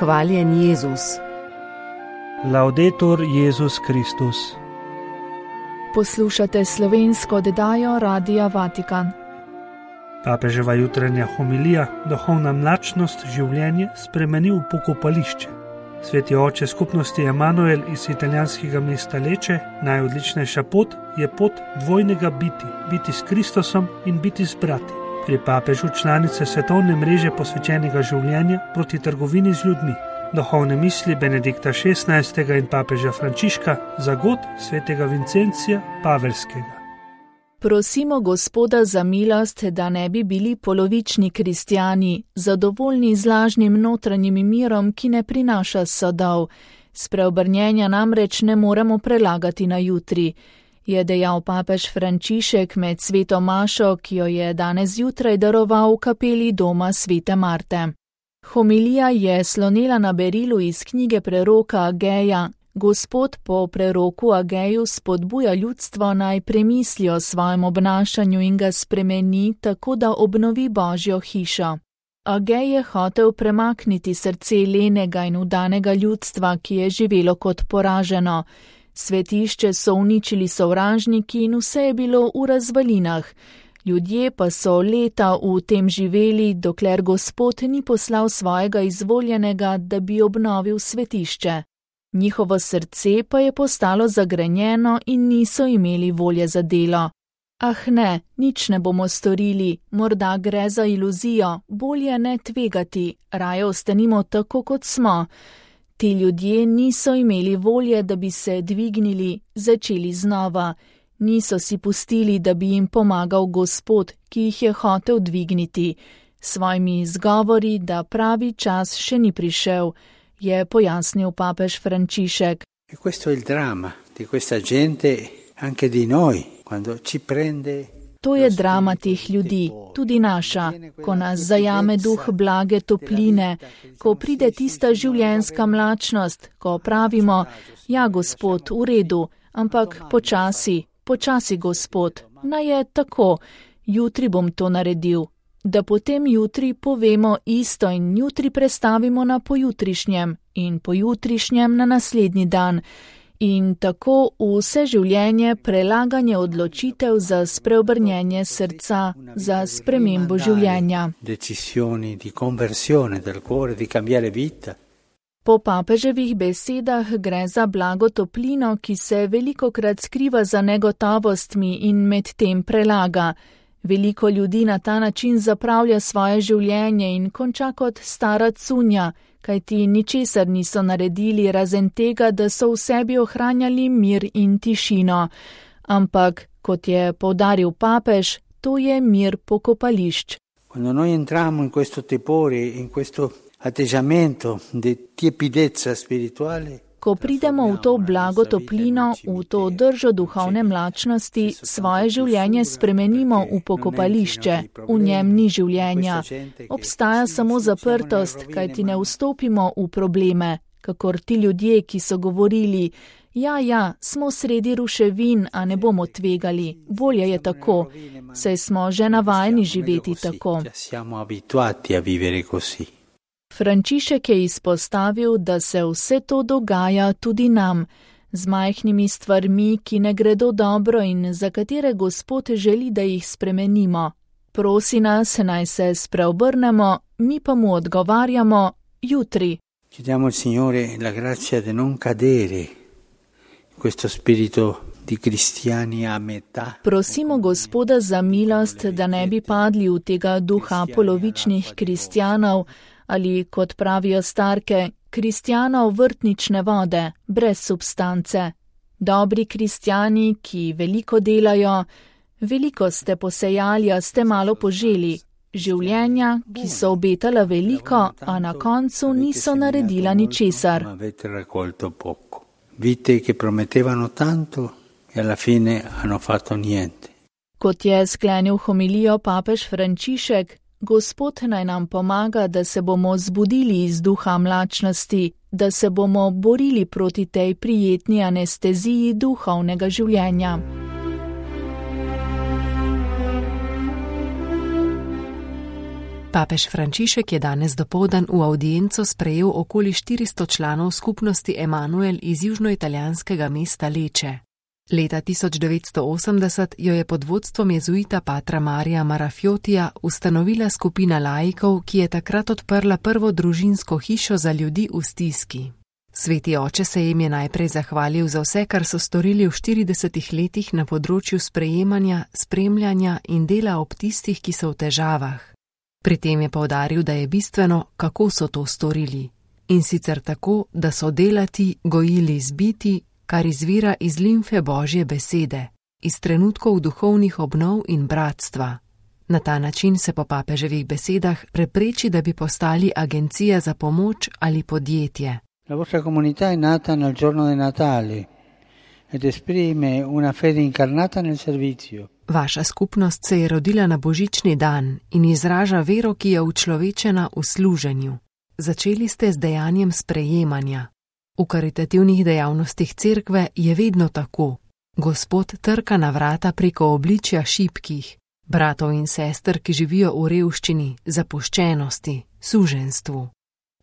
Hvaljen Jezus. Laudetur Jezus Kristus. Poslušate slovensko oddajo Radia Vatikan. Papeževa jutranja homilija Duhovna mlačnost življenje spremeni v pokopališče. Sveti oče skupnosti Emanuel iz italijanskega mesta Leče, najodličnejša pot je pot dvojnega biti s Kristusom in biti s brati. Pri papežu članice svetovne mreže posvečenega življenja proti trgovini z ljudmi. Duhovne misli Benedikta XVI. In papeža Frančiška za god svetega Vincencija Pavelskega. Prosimo Gospoda za milost, da ne bi bili polovični kristjani, zadovoljni z lažnim notranjim mirom, ki ne prinaša sadov. Spreobrnjenja namreč ne moremo prelagati na jutri, je dejal papež Frančišek med sveto mašo, ki jo je danes zjutraj daroval v kapeli doma svete Marte. Homilija je slonela na berilu iz knjige preroka Ageja. Gospod po preroku Ageju spodbuja ljudstvo naj premisli o svojem obnašanju in ga spremeni tako, da obnovi Božjo hišo. Agej je hotel premakniti srce lenega in vdanega ljudstva, ki je živelo kot poraženo. Svetišče so uničili sovražniki in vse je bilo v razvalinah. Ljudje pa so leta v tem živeli, dokler Gospod ni poslal svojega izvoljenega, da bi obnovil svetišče. Njihovo srce pa je postalo zagrenjeno in niso imeli volje za delo. Ah ne, nič ne bomo storili, morda gre za iluzijo, bolje ne tvegati, raje ostanimo tako, kot smo. Ti ljudje niso imeli volje, da bi se dvignili, začeli znova. Niso si pustili, da bi jim pomagal Gospod, ki jih je hotel dvigniti. Svojimi izgovori, da pravi čas še ni prišel, je pojasnil papež Frančišek. To je drama teh ljudi, tudi naša, ko nas zajame duh blage topline, ko pride tista življenjska mlačnost, ko pravimo, ja, Gospod, v redu, ampak počasi, Gospod, naj je tako, jutri bom to naredil. Da potem jutri povemo isto in jutri prestavimo na pojutrišnjem in pojutrišnjem na naslednji dan. In tako vse življenje prelaganje odločitev za spreobrnjenje srca, za spremembo življenja. Po papeževih besedah gre za blago toplino, ki se velikokrat skriva za negotovostmi in med tem prelaga. Veliko ljudi na ta način zapravlja svoje življenje in konča kot stara cunja, kajti ničesar niso naredili razen tega, da so v sebi ohranjali mir in tišino. Ampak, kot je poudaril papež, to je mir pokopališč. Quando noi entriamo in questo tepore, in questo atteggiamento di tiepidezza spirituale, ko pridemo v to blago toplino, v to držo duhovne mlačnosti, svoje življenje spremenimo v pokopališče, v njem ni življenja. Obstaja samo zaprtost, kajti ne vstopimo v probleme, kakor ti ljudje, ki so govorili, ja, smo sredi ruševin, a ne bomo tvegali, bolje je tako, saj smo že navajeni živeti tako. Frančišek je izpostavil, da se vse to dogaja tudi nam, z majhnimi stvarmi, ki ne gredo dobro in za katere Gospod želi, da jih spremenimo. Prosi nas, naj se spreobrnemo, mi pa mu odgovarjamo jutri. Chiediamo al Signore la grazia di non cadere in questo spirito di cristiani a metà. Prosimo Gospoda za milost, da ne bi padli v tega duha polovičnih kristjanov, ali, kot pravijo starke, kristjanov vrtnične vode, brez substance. Dobri kristjani, ki veliko delajo, veliko ste posejali, a ste malo poželi. Življenja, ki so obetala veliko, a na koncu niso naredila ničesar. Vite, ki prometevano tanto, e alla fine hanno fatto niente. Kot je sklenil homilijo papež Frančišek, Gospod naj nam pomaga, da se bomo zbudili iz duha mlačnosti, da se bomo borili proti tej prijetni anesteziji duhovnega življenja. Papež Frančišek je danes dopoldan v avdienco sprejel okoli 400 članov skupnosti Emanuel iz južnoitalijanskega mesta Leče. Leta 1980 jo je pod vodstvom jezuita patra Marija Marafiotija ustanovila skupina laikov, ki je takrat odprla prvo družinsko hišo za ljudi v stiski. Sveti oče se jim je najprej zahvalil za vse, kar so storili v 40 letih na področju sprejemanja, spremljanja in dela ob tistih, ki so v težavah. Pri tem je poudaril, da je bistveno, kako so to storili. In sicer tako, da so delati, gojili zbiti, kar izvira iz limfe Božje besede, iz trenutkov duhovnih obnov in bratstva. Na ta način se po papeževih besedah prepreči, da bi postali agencija za pomoč ali podjetje. La vostra comunità è nata nel giorno di Natale ed esprime una fede incarnata nel servizio. Vaša skupnost se je rodila na božični dan in izraža vero, ki je učlovečena v služenju. Začeli ste z dejanjem sprejemanja. V karitativnih dejavnostih cerkve je vedno tako. Gospod trka na vrata preko obličja šibkih, bratov in sester, ki živijo v revščini, zapuščenosti, suženstvu.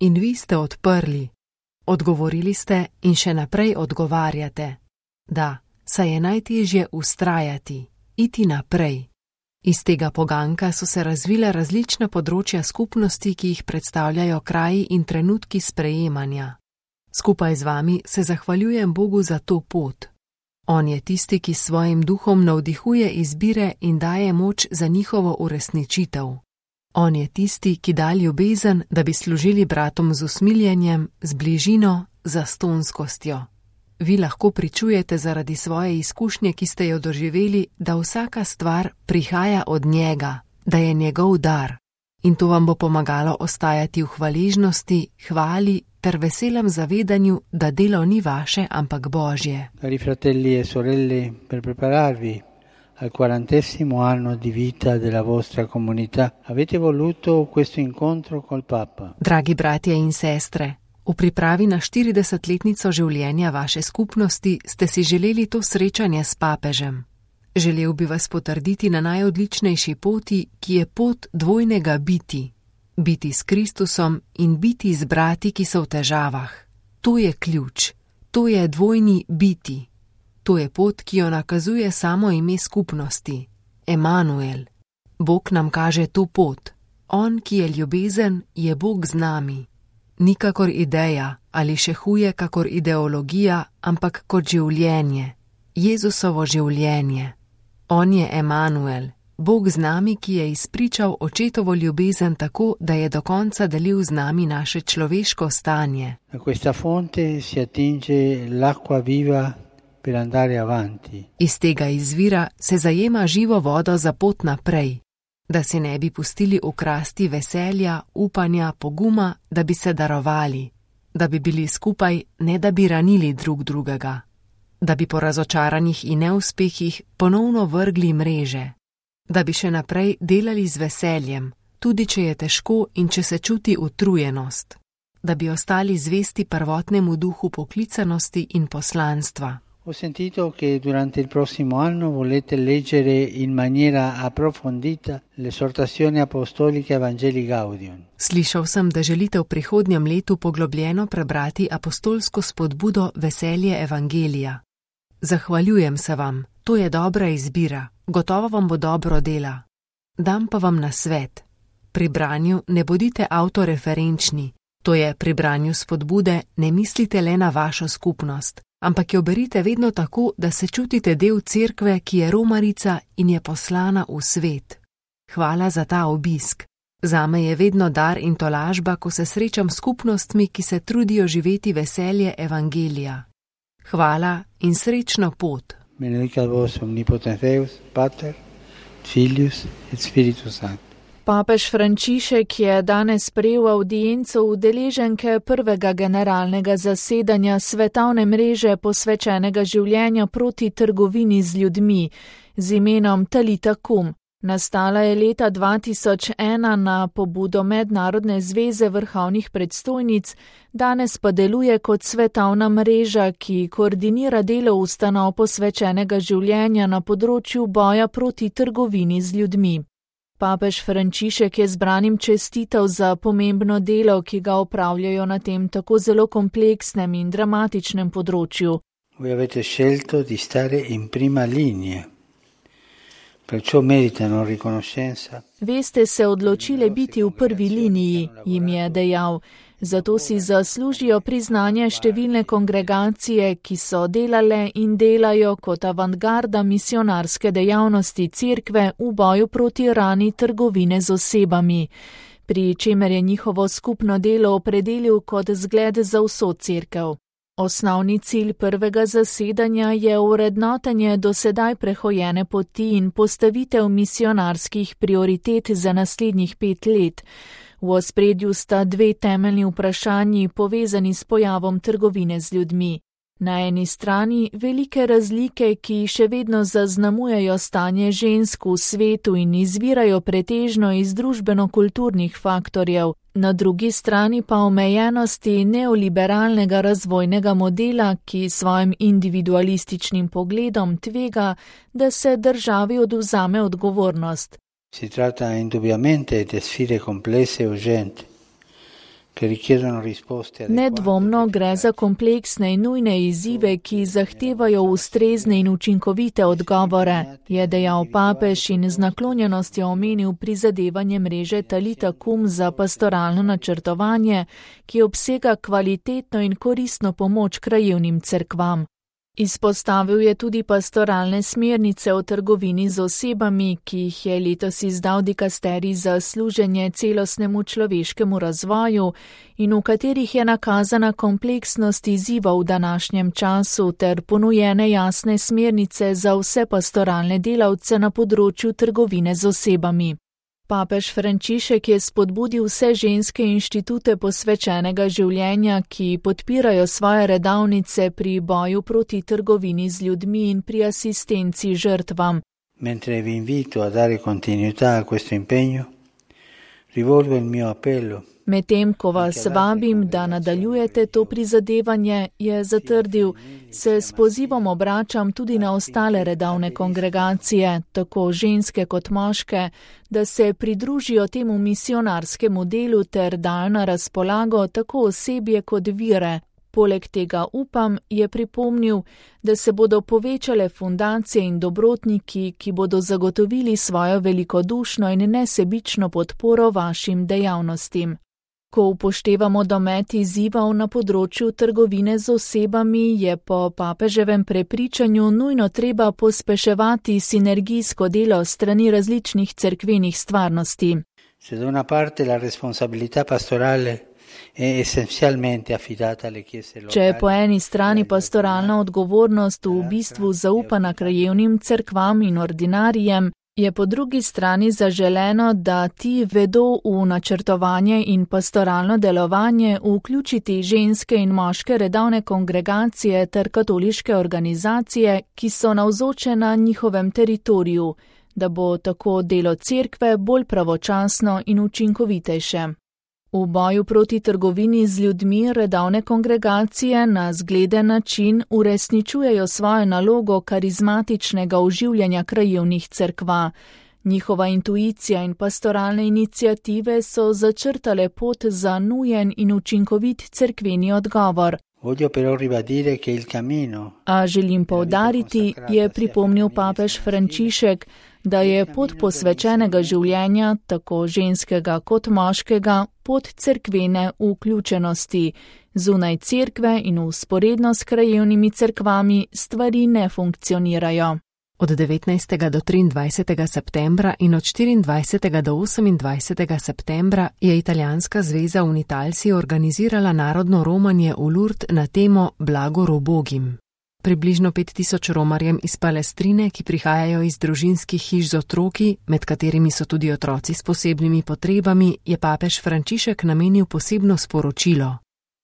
In vi ste odprli. Odgovorili ste in še naprej odgovarjate. Da, saj je najtežje vztrajati, iti naprej. Iz tega poganka so se razvila različna področja skupnosti, ki jih predstavljajo kraji in trenutki sprejemanja. Skupaj z vami se zahvaljujem Bogu za to pot. On je tisti, ki s svojim duhom navdihuje izbire in daje moč za njihovo uresničitev. On je tisti, ki da ljubezen, da bi služili bratom z usmiljenjem, z bližino, zastonskostjo. Vi lahko pričujete zaradi svoje izkušnje, ki ste jo doživeli, da vsaka stvar prihaja od njega, da je njegov dar. In to vam bo pomagalo ostajati v hvaležnosti, hvali ter veselem zavedanju, da delo ni vaše, ampak Božje. Cari fratelli e sorelle, per prepararvi al 40° anno di vita della vostra comunità, avete voluto questo incontro col Papa. Dragi bratje in sestre, v pripravi na 40-letnico življenja vaše skupnosti ste si želeli to srečanje s papežem. Želel bi vas potrditi na najodličnejši poti, ki je pot dvojnega biti. Biti s Kristusom in biti z brati, ki so v težavah. To je ključ. To je dvojni biti. To je pot, ki jo nakazuje samo ime skupnosti. Emanuel. Bog nam kaže to pot. On, ki je ljubezen, je Bog z nami. Ni kakor ideja ali še huje kakor ideologija, ampak kot življenje. Jezusovo življenje. On je Emanuel, Bog z nami, ki je izpričal očetovo ljubezen tako, da je do konca delil z nami naše človeško stanje. Da questa fonte si attinge l'acqua viva per andare avanti. Iz tega izvira se zajema živo vodo za pot naprej, da se ne bi pustili ukrasti veselja, upanja, poguma, da bi se darovali, da bi bili skupaj, ne da bi ranili drug drugega, da bi po razočaranjih in neuspehih ponovno vrgli mreže, da bi še naprej delali z veseljem, tudi če je težko in če se čuti utrujenost, da bi ostali zvesti prvotnemu duhu poklicanosti in poslanstva. Ho sentito che durante il prossimo anno volete leggere in maniera approfondita l'esortazione apostolica Evangelii Gaudium. Slišal sem, da želite v prihodnjem letu poglobljeno prebrati apostolsko spodbudo Veselje Evangelija. Zahvaljujem se vam, to je dobra izbira, gotovo vam bo dobro dela. Dam pa vam nasvet. Pri branju ne bodite avtoreferenčni, to je pri branju spodbude ne mislite le na vašo skupnost, ampak jo berite vedno tako, da se čutite del cerkve, ki je romarica in je poslana v svet. Hvala za ta obisk. Zame je vedno dar in tolažba, ko se srečam s skupnostmi, ki se trudijo živeti veselje Evangelija. Hvala in srečno pot. Benedicat vos omnipotens Deus, Pater, Filius et Spiritus Sanctus. Papež Frančišek je danes sprejel avdienco udeleženke prvega generalnega zasedanja svetovne mreže posvečenega življenja proti trgovini z ljudmi z imenom Talita Kum. Nastala je leta 2001 na pobudo Mednarodne zveze vrhovnih predstojnic, danes pa deluje kot svetovna mreža, ki koordinira delo ustanov posvečenega življenja na področju boja proti trgovini z ljudmi. Papež Frančišek je zbranim čestital za pomembno delo, ki ga opravljajo na tem tako zelo kompleksnem in dramatičnem področju. Voi avete scelto di stare in prima linea, perciò meritano riconoscenza. Veste se odločile biti v prvi liniji, jim je dejal. Zato si zaslužijo priznanje številne kongregacije, ki so delale in delajo kot avantgarda misionarske dejavnosti Cerkve v boju proti rani trgovine z osebami, pri čemer je njihovo skupno delo opredelil kot zgled za vso Cerkev. Osnovni cilj prvega zasedanja je ovrednotenje do sedaj prehojene poti in postavitev misionarskih prioritet za naslednjih 5 let. V ospredju sta 2 temeljni vprašanji povezani s pojavom trgovine z ljudmi. Na eni strani velike razlike, ki še vedno zaznamujejo stanje žensk v svetu in izvirajo pretežno iz družbeno-kulturnih faktorjev, na drugi strani pa omejenosti neoliberalnega razvojnega modela, ki svojim individualističnim pogledom tvega, da se državi odvzame odgovornost. Si tratta indubbiamente di sfide complesse e urgenti, che richiedono risposte adeguate. Nedvomno gre za kompleksne in nujne izzive, ki zahtevajo ustrezne in učinkovite odgovore, je dejal papež in z naklonjenostjo omenil prizadevanje mreže Talita Kum za pastoralno načrtovanje, ki obsega kvalitetno in koristno pomoč krajevnim cerkvam. Izpostavil je tudi pastoralne smernice o trgovini z osebami, ki jih je letos izdal dikasterij za služenje celostnemu človeškemu razvoju in v katerih je nakazana kompleksnost izzivov v današnjem času ter ponujene jasne smernice za vse pastoralne delavce na področju trgovine z osebami. Papež Frančišek je spodbudil vse ženske inštitute posvečenega življenja, ki podpirajo svoje redavnice pri boju proti trgovini z ljudmi in pri asistenci žrtvam. Mentre vi invito a dare continuità a questo impegno, rivolgo il mio appello. Medtem ko vas vabim, da nadaljujete to prizadevanje, je zatrdil, se s pozivom obračam tudi na ostale redavne kongregacije, tako ženske kot moške, da se pridružijo temu misionarskemu delu ter dajo na razpolago tako osebje kot vire. Poleg tega upam, je pripomnil, da se bodo povečale fundacije in dobrotniki, ki bodo zagotovili svojo velikodušno in nesebično podporo vašim dejavnostim. Ko upoštevamo domet izzivov na področju trgovine z osebami, je po papeževem prepričanju nujno treba pospeševati sinergijsko delo strani različnih cerkvenih stvarnosti. Se da una parte la responsabilità pastorale è essenzialmente affidata alle chiese locali. Če je po eni strani pastoralna odgovornost v bistvu zaupana krajevnim cerkvam in ordinarijem, je po drugi strani zaželeno, da ti vedo v načrtovanje in pastoralno delovanje vključiti ženske in moške redavne kongregacije ter katoliške organizacije, ki so navzoče na njihovem teritoriju, da bo tako delo cerkve bolj pravočasno in učinkovitejše. V boju proti trgovini z ljudmi redavne kongregacije na zgleden način uresničujejo svojo nalogo karizmatičnega oživljanja krajevnih cerkva. Njihova intuicija in pastoralne iniciative so začrtale pot za nujen in učinkovit cerkveni odgovor. A želim poudariti, je pripomnil papež Frančišek, da je pot posvečenega življenja, tako ženskega kot moškega, pot cerkvene vključenosti. Zunaj cerkve in vzporedno s krajevnimi cerkvami stvari ne funkcionirajo. Od 19. do 23. septembra in od 24. do 28. septembra je Italijanska zveza Unitalsi organizirala narodno romanje v Lourdes na temo Blagor ubogim. Približno 5000 romarjem iz Palestrine, ki prihajajo iz družinskih hiš z otroki, med katerimi so tudi otroci s posebnimi potrebami, je papež Frančišek namenil posebno sporočilo.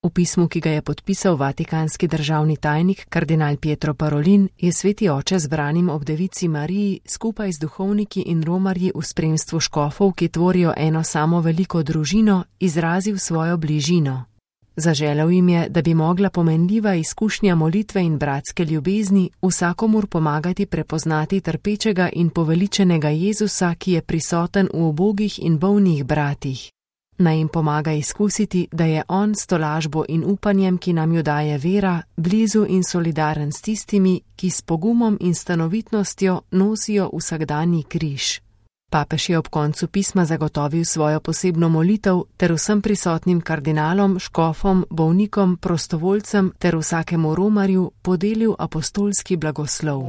V pismu, ki ga je podpisal vatikanski državni tajnik kardinal Pietro Parolin, je sveti oče zbranim ob devici Mariji skupaj z duhovniki in romarji v spremstvu škofov, ki tvorijo eno samo veliko družino, izrazil svojo bližino. Zaželel jim je, da bi mogla pomenljiva izkušnja molitve in bratske ljubezni vsakomur pomagati prepoznati trpečega in poveličenega Jezusa, ki je prisoten v ubogih in bolnih bratih. Naj jim pomaga izkusiti, da je on s tolažbo in upanjem, ki nam jo daje vera, blizu in solidaren s tistimi, ki s pogumom in stanovitnostjo nosijo vsakdanji križ. Papež je ob koncu pisma zagotovil svojo posebno molitev ter vsem prisotnim kardinalom, škofom, bolnikom, prostovoljcem ter vsakemu romarju podelil apostolski blagoslov.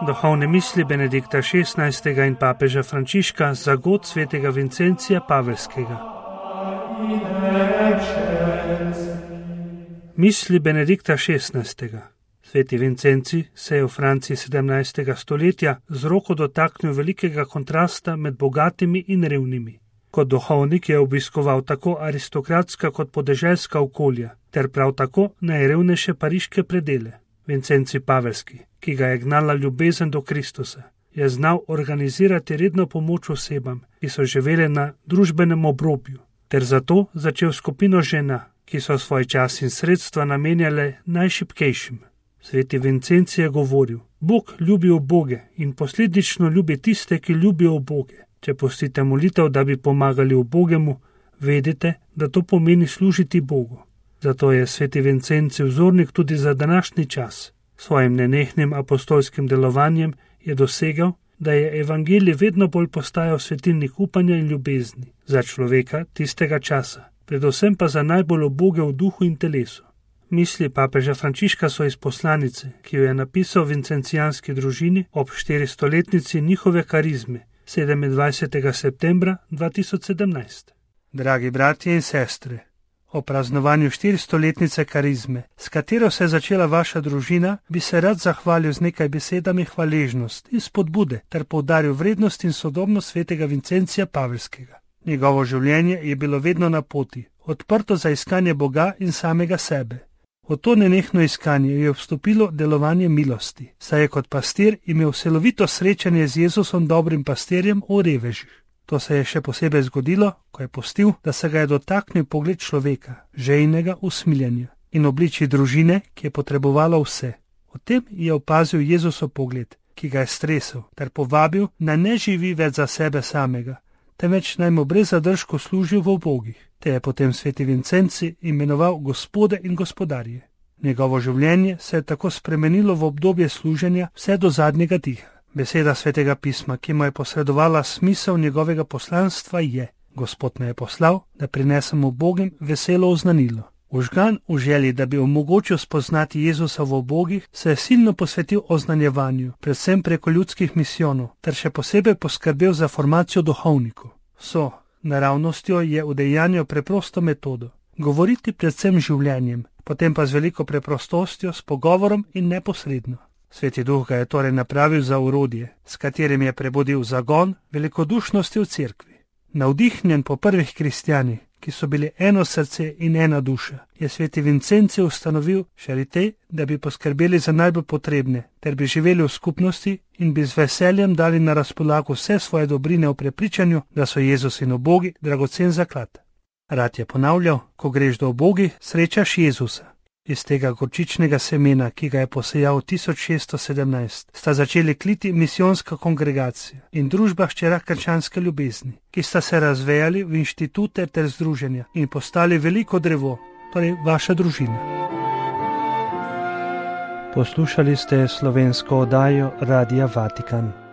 Duhovne misli Benedikta XVI. In papeža Frančiška za god svetega Vincencija Pavelskega. Misli Benedikta XVI. Sveti Vincenci se je v Franciji 17. stoletja z roko dotaknil velikega kontrasta med bogatimi in revnimi. Kot duhovnik je obiskoval tako aristokratska kot podeželska okolja, ter prav tako najrevnejše pariške predele. Vincenci Pavelski, ki ga je gnala ljubezen do Kristusa, je znal organizirati redno pomoč osebam, ki so živele na družbenem obrobju, ter zato začel skupino žena, ki so svoj čas in sredstva namenjale najšibkejšim. Sveti Vincenci je govoril: Bog ljubi uboge in posledično ljubi tiste, ki ljubijo uboge. Če pustite molitev, da bi pomagali ubogemu, vedite, da to pomeni služiti Bogu. Zato je sveti Vincenci vzornik tudi za današnji čas. Svojim nenehnim apostolskim delovanjem je dosegel, da je evangelij vedno bolj postajal svetilnik upanja in ljubezni za človeka tistega časa, predvsem pa za najbolj uboge v duhu in telesu. Misli papeža Frančiška so iz poslanice, ki jo je napisal vincencijanski družini ob 400-letnici njihove karizme, 27. septembra 2017. Dragi bratje in sestre, o praznovanju 400-letnice karizme, s katero se je začela vaša družina, bi se rad zahvalil z nekaj besedami hvaležnost in spodbude ter poudaril vrednost in sodobnost svetega Vincencija Pavelskega. Njegovo življenje je bilo vedno na poti, odprto za iskanje Boga in samega sebe. V to nenehno iskanje je vstopilo delovanje milosti, saj je kot pastir imel celovito srečanje z Jezusom, dobrim pastirjem v revežih. To se je še posebej zgodilo, ko je pustil, da se ga je dotaknil pogled človeka, žejnega usmiljenja in obliči družine, ki je potrebovala vse. O tem je opazil Jezusov pogled, ki ga je stresel, ter povabil, naj ne živi več za sebe samega, temveč naj mu brez zadržku služil v ubogih. Te je potem sveti Vincenci imenoval gospode in gospodarje. Njegovo življenje se je tako spremenilo v obdobje služenja vse do zadnjega diha. Beseda svetega pisma, ki mu je posredovala smisel njegovega poslanstva, je: Gospod me je poslal, da prinesem ubogim veselo oznanilo. Užgan v želji, da bi omogočil spoznati Jezusa v ubogih, se je silno posvetil oznanjevanju, predvsem preko ljudskih misijonov, ter še posebej poskrbel za formacijo duhovnikov. So naravnostjo je udejanjal preprosto metodo: govoriti predvsem življenjem, potem pa z veliko preprostostjo, s pogovorom in neposredno. Sveti duh ga je torej napravil za orodje, s katerim je prebudil zagon velikodušnosti v cerkvi. Navdihnjen po prvih kristjanih, ki so bili eno srce in ena duša, je sveti Vincenci ustanovil šarite, da bi poskrbeli za najbolj potrebne, ter bi živeli v skupnosti in bi z veseljem dali na razpolago vse svoje dobrine v prepričanju, da so Jezus in ubogi dragocen zaklad. Rad je ponavljal: ko greš do ubogih, srečaš Jezusa. Iz tega gorčičnega semena, ki ga je posejal 1617, sta začeli kliti misijonska kongregacija in družba hčera krščanske ljubezni, ki sta se razvejali v inštitute ter združenja in postali veliko drevo, torej vaša družina. Poslušali ste slovensko oddajo Radia Vatikan.